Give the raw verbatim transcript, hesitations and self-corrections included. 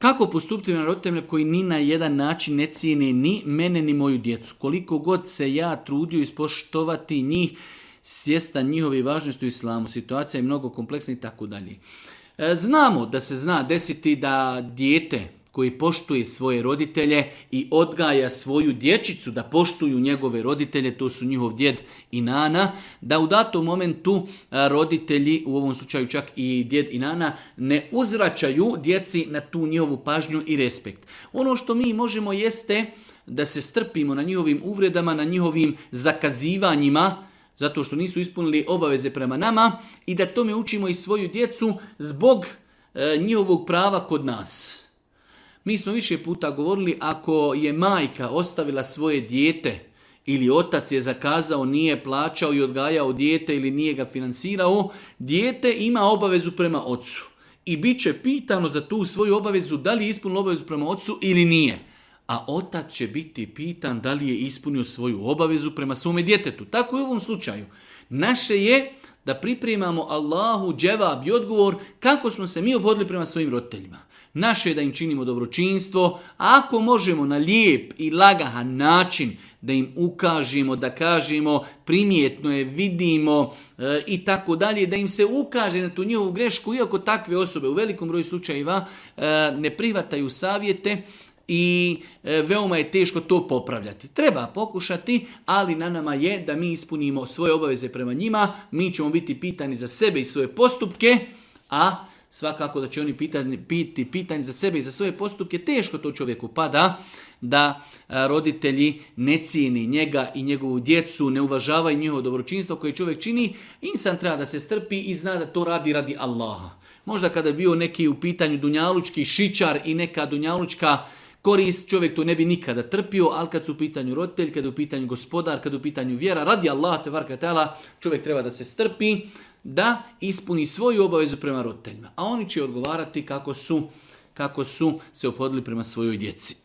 Kako postupiti na roditeljima koji ni na jedan način ne cijene ni mene ni moju djecu? Koliko god se ja trudio ispoštovati njih, svjestan njihove važnosti u islamu, situacija je mnogo kompleksna i tako dalje. Znamo da se zna desiti da dijete koji poštuje svoje roditelje i odgaja svoju dječicu da poštuju njegove roditelje, to su njihov djed i nana, da u datom momentu roditelji, u ovom slučaju čak i djed i nana, ne uzvraćaju djeci na tu njihovu pažnju i respekt. Ono što mi možemo jeste da se strpimo na njihovim uvredama, na njihovim zakazivanjima, zato što nisu ispunili obaveze prema nama i da tome učimo i svoju djecu zbog e, njihovog prava kod nas. Mi smo više puta govorili, ako je majka ostavila svoje dijete ili otac je zakazao, nije plaćao i odgajao dijete ili nije ga finansirao, dijete ima obavezu prema ocu. I bit će pitano za tu svoju obavezu da li je ispunilo obavezu prema ocu ili nije. A otac će biti pitan da li je ispunio svoju obavezu prema svome djetetu. Tako i u ovom slučaju. Naše je da pripremamo Allahu dževab i odgovor kako smo se mi obhodili prema svojim roditeljima. Naše je da im činimo dobročinstvo, a ako možemo na lijep i lagahan način da im ukažemo, da kažemo primjetno je, vidimo e, i tako dalje, da im se ukaže na tu njihovu grešku, iako takve osobe u velikom broju slučajeva e, ne prihvataju savjete, i e, veoma je teško to popravljati. Treba pokušati, ali na nama je da mi ispunimo svoje obaveze prema njima, mi ćemo biti pitani za sebe i svoje postupke, a svakako da će oni pitani, biti pitani za sebe i za svoje postupke. Teško to čovjeku pada da a, roditelji ne cijeni njega i njegovu djecu, ne uvažavaju njihovo dobročinstvo koje čovjek čini. Insan treba da se strpi i zna da to radi radi Allaha. Možda kada je bio neki u pitanju dunjalučki šičar i neka dunjalučka korist, čovjek to ne bi nikada trpio, ali kad su u pitanju roditelj, kad je u pitanju gospodar, kad je u pitanju vjera, radi Allah, tebaraka ta'ala, čovjek treba da se strpi, da ispuni svoju obavezu prema roditeljima. A oni će odgovarati kako su, kako su se ophodili prema svojoj djeci.